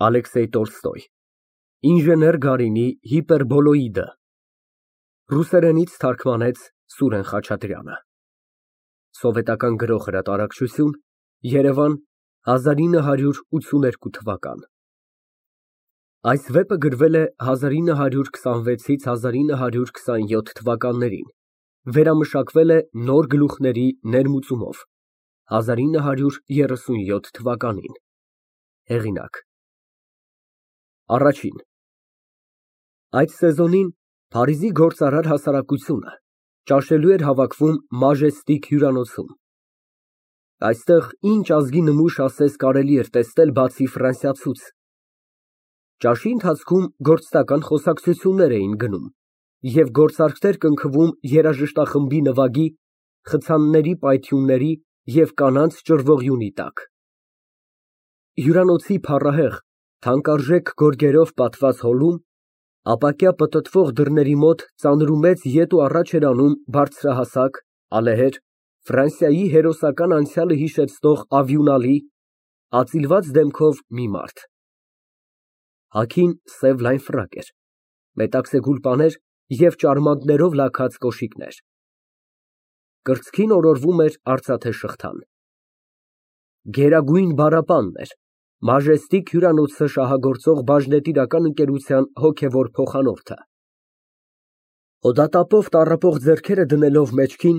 Ալեքսեյ Տոլստոյ Ինժեներ Գարինի Հիպերբոլոիդը Ռուսերենից թարգմանեց Սուրեն Խաչատրյանը Սովետական Գրող հրատարակչություն Երևան 1982 թվական Այս վեպը գրվել է 1926-ից 1927 թվականներին, վերամշակվել է Նոր գլուխների ներմուծումով 1937 թվականին, հեղինակ Առաջին Այդ սեզոնին Փարիզի գործարար հասարակությունը ճաշելու էր հավաքվում Մաժեստիկ հյուրանոցում։ Այստեղ ինչ ազգի նմուշ ասես կարելի էր տեսնել բացի ֆրանսիացուց։ Ճաշի ընթացքում գործնական խոսակցություններ էին գնում և գործարքներ կնքվում երաժշտախմբի նվագի, խցանների պայթյունների և կանանց ճռվողյունի տակ։ Հյուրանոցի փառահեղ, թանկարժեք գորգերով պատված հոլում, ապակյա պտտվող դռների մոտ ծանրումեծ ետ ու առաջ էր անում բարձրահասակ, ալեհեր, Ֆրանսիայի հերոսական անցյալը հիշեցնող ալյունալի, ածիլված դեմքով մի մարդ։ Հագին սև լայն ֆրակ էր, մետաքսե գուլպաներ և ճարմանկներով լաքած կոշիկներ։ Կրծքին օրորվում էր արծաթե շղթան։ Գերագույն բառապանն էր, Մաժեստիկ հյուրանոցը շահագործող բաժնետիրական ընկերության հոգևոր փոխանորդը։ Հոդատապով տառապող ձեռքերը դնելով մեջքին,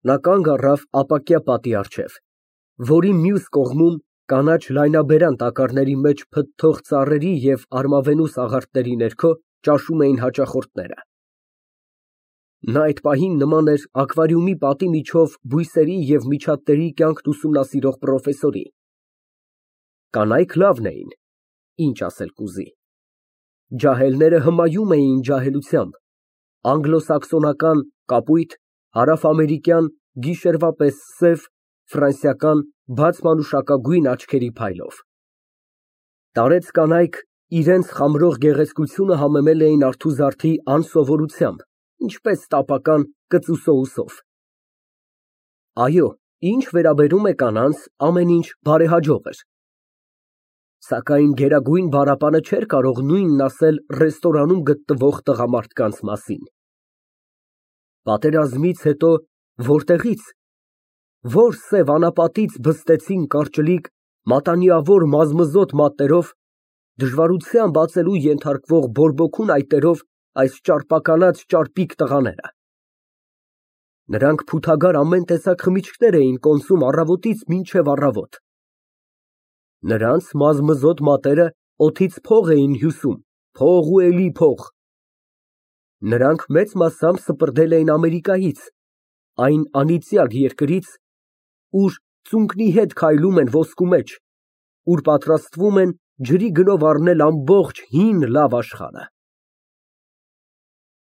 նա կանգ առավ ապակյա պատի առջև, որի մյուս կողմում կանաչ լայնաբերան տակառների մեջ փթթող ծառերի և արմավենու սաղարթների ներքո ճաշում էին հաճախորդները։ Նա այդ պահին նման էր ակվարիումի պատի միջով բույսերի և միջատների կյանքն ուսումնասիրող պրոֆեսորի։ Կանայք լավն էին, ինչ ասել կուզի։ Ջահելները հմայում էին ջահելությամբ, անգլոսաքսոնական կապույտ, հարավամերիկյան գիշերվա պես սև, ֆրանսիական բաց մանուշակագույն աչքերի փայլով։ Տարեց կանայք իրենց խամրող գեղեցկությունը համեմել էին արթուզարդի անսովորությամբ, ինչպես տապական կծու սոուսով։ Այո, ինչ վերաբերում է կանանց, ամեն ինչ բարեհաջող էր։ Սակայն գերագույն բառապանը չէր կարող նույնն ասել ռեստորանում գտնվող տղամարդկանց մասին։ Պատերազմից հետո որտեղի՞ց, որ սև անապատից բստեցին կարճլիկ, մատանիավոր մազմզոտ մատներով, դժվարությամբ ածելու ենթարկվող բորբոքուն այտերով այս ճարպակալած ճարպիկ տղաները։ Նրանք փութագար ամեն տեսակ խմիչքներ էին կոնսում առավոտից մինչև առավոտ։ Նրանց մազմզոտ մատները օդից փող էին հյուսում, փող ու էլի փող։ Նրանք մեծ մասամբ սպրդել էին Ամերիկայից, այն անիծյալ երկրից, ուր ծունկի հետ քայլում են ոսկու մեջ, ուր պատրաստվում են ջրի գնով առնել ամբողջ հին լավ աշխարհը։